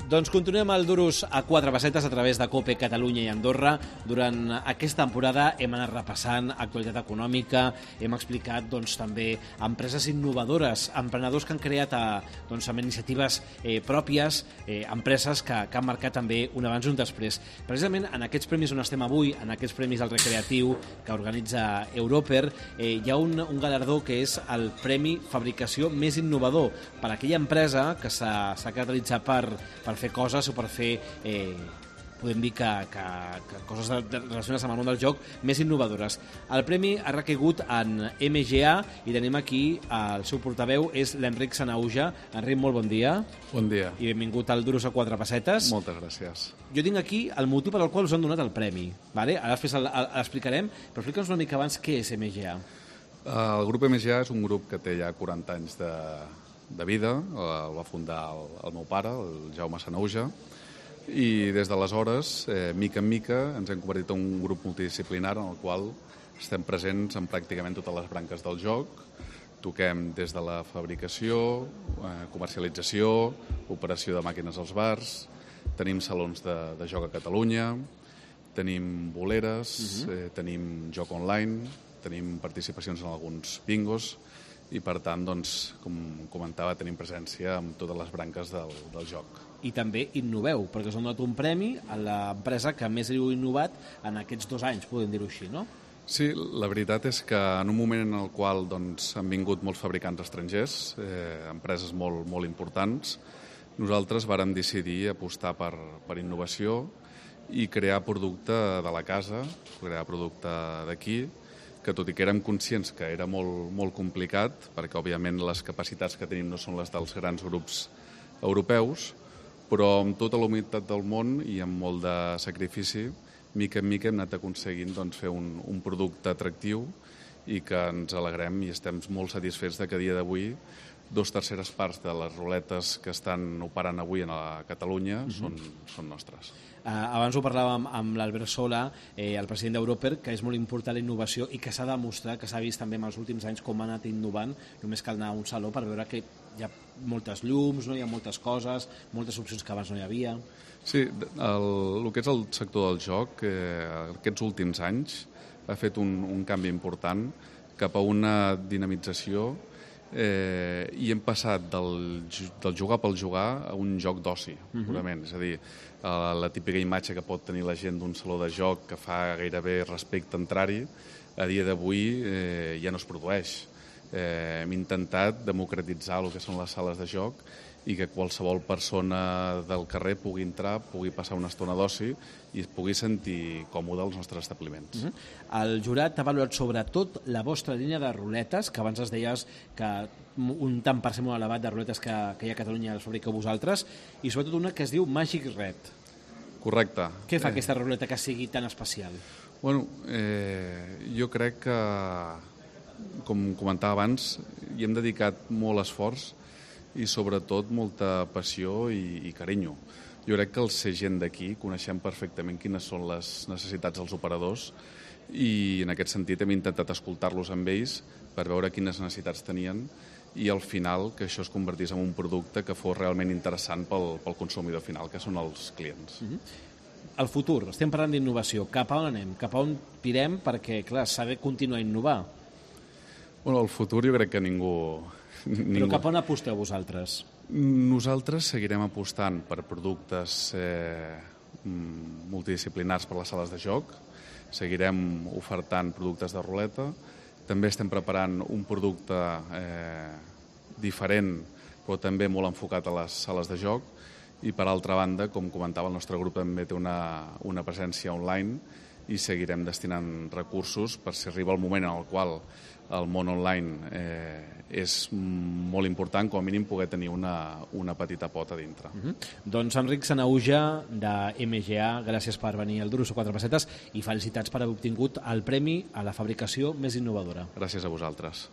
Doncs continuem el Duros a 4 pessetes a través de COPE Catalunya i Andorra. Durant aquesta temporada hem anat repassant actualitat econòmica, hem explicat també empreses innovadores, emprenedors que han creat amb iniciatives pròpies, empreses que han marcat també un abans i un després. Precisament en aquests premis on estem avui, en aquests premis al recreatiu que organitza Europer, hi ha un galardó que és el Premi Fabricació Més Innovador per a aquella empresa que s'ha caracteritzat per fer coses o per fer, podem dir que coses relacionades amb el món del joc més innovadores. El premi ha recaigut en MGA i tenim aquí el seu portaveu, és l'Enric Sanauja. Enric, molt bon dia. Bon dia. I benvingut al Duros a 4 pessetes. Moltes gràcies. Jo tinc aquí el motiu per al qual us han donat el premi. Vale? Ara després l'explicarem, però explica'ns una mica abans què és MGA. El grup MGA és un grup que té ja 40 anys de vida. El va fundar el meu pare, el Jaume Sanauja, i des d'aleshores, mica en mica, ens hem convertit en un grup multidisciplinar en el qual estem presents en pràcticament totes les branques del joc. Toquem des de la fabricació, comercialització, operació de màquines als bars, tenim salons de joc a Catalunya, tenim boleres, tenim joc online, tenim participacions en alguns bingos i, per tant, com comentava, tenim presència en totes les branques del joc. I també innoveu, perquè us han donat un premi a l'empresa que més heu innovat en aquests 2 anys, podem dir-ho així, no? Sí, la veritat és que en un moment en el qual han vingut molts fabricants estrangers, empreses molt importants, nosaltres vàrem decidir apostar per innovació i crear producte de la casa, crear producte d'aquí, que tot i que érem conscients que era molt complicat, perquè òbviament les capacitats que tenim no són les dels grans grups europeus, però amb tota la humilitat del món i amb molt de sacrifici, mica en mica hem anat aconseguint fer un producte atractiu i que ens alegrem i estem molt satisfets que a dia d'avui 2/3 parts de les ruletes que estan operant avui a Catalunya són nostres. Abans ho parlàvem amb l'Albert Sola, el president d'Europer, que és molt important la innovació i que s'ha demostrat, que s'ha vist també en els últims anys com ha anat innovant. Només cal anar a un saló per veure que hi ha moltes llums, no? Hi ha moltes coses, moltes opcions que abans no hi havia. Sí, el que és el sector del joc, aquests últims anys ha fet un canvi important cap a una dinamització i hem passat del jugar pel jugar a un joc d'oci, purament. És a dir, la típica imatge que pot tenir la gent d'un saló de joc que fa gairebé respecte a entrar-hi, a dia d'avui ja no es produeix. Hem intentat democratitzar el que són les sales de joc i que qualsevol persona del carrer pugui entrar, pugui passar una estona d'oci i es pugui sentir còmode als nostres establiments. El jurat ha valorat sobretot la vostra línia de ruletes, que abans es deies que un tant per cent molt elevat de ruletes que hi ha a Catalunya les fabriqueu vosaltres, i sobretot una que es diu Magic Red. Correcte. Què fa aquesta ruleta que sigui tan especial? Bueno, jo crec que, com comentava abans, hi hem dedicat molt esforç i sobretot molta passió i carinyo. Jo crec que el ser gent d'aquí coneixem perfectament quines són les necessitats dels operadors i en aquest sentit hem intentat escoltar-los amb ells per veure quines necessitats tenien i al final que això es convertís en un producte que fos realment interessant pel consumidor final, que són els clients. El futur, estem parlant d'innovació. Cap a on anem? Cap a on pirem? Perquè, clar, s'ha de continuar a innovar. Bueno, el futur jo crec que ningú... Però cap on aposteu vosaltres? Nosaltres seguirem apostant per productes multidisciplinars per les sales de joc, seguirem ofertant productes de ruleta, també estem preparant un producte diferent però també molt enfocat a les sales de joc i per altra banda, com comentava, el nostre grup també té una presència online i seguirem destinant recursos per si arriba el moment en el qual el món online és molt important, com a mínim poder tenir una petita pota dintre. Doncs Enric Sanauja, de MGA, gràcies per venir al Duros a 4 pessetes i felicitats per haver obtingut el premi a la fabricació més innovadora. Gràcies a vosaltres.